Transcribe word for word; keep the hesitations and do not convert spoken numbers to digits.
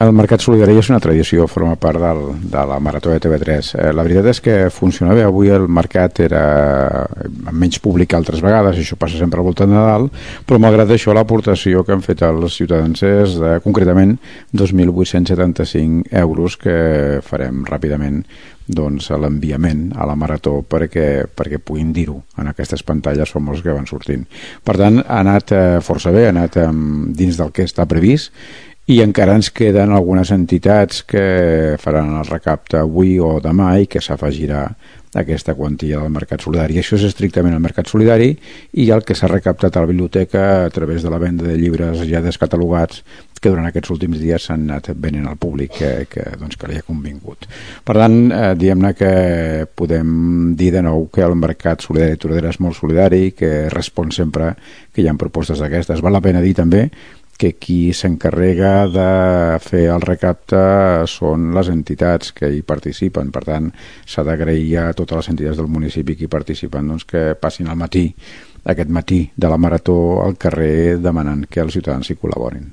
El Mercat Solidari és una tradició, forma part del, de la Marató de T V tres. Eh, la veritat és que funciona bé. Avui el mercat era amb menys públic que altres vegades, això passa sempre al voltant de Nadal, però malgrat això l'aportació que han fet els ciutadans és de, concretament, dos mil vuit-cents setanta-cinc euros que farem ràpidament doncs, a l'enviament a la Marató perquè, perquè puguin dir-ho en aquestes pantalles famoses que van sortint. Per tant, ha anat eh, força bé, ha anat eh, dins del que està previst, i encara ens queden algunes entitats que faran el recapte avui o demà i que s'afegirà aquesta quantia del Mercat Solidari. Això és estrictament el Mercat Solidari, i el que s'ha recaptat a la biblioteca a través de la venda de llibres ja descatalogats que durant aquests últims dies s'han anat venent al públic que, que, doncs, que li ha convingut. Per tant, eh, diguem-ne que podem dir de nou que el Mercat Solidari de Tordera és molt solidari, que respon sempre que hi ha propostes d'aquestes. Val la pena dir també que qui s'encarrega de fer el recapte són les entitats que hi participen. Per tant, s'ha d'agrair a totes les entitats del municipi que hi participen doncs, que passin al matí, aquest matí de la Marató, al carrer demanant que els ciutadans hi col·laborin.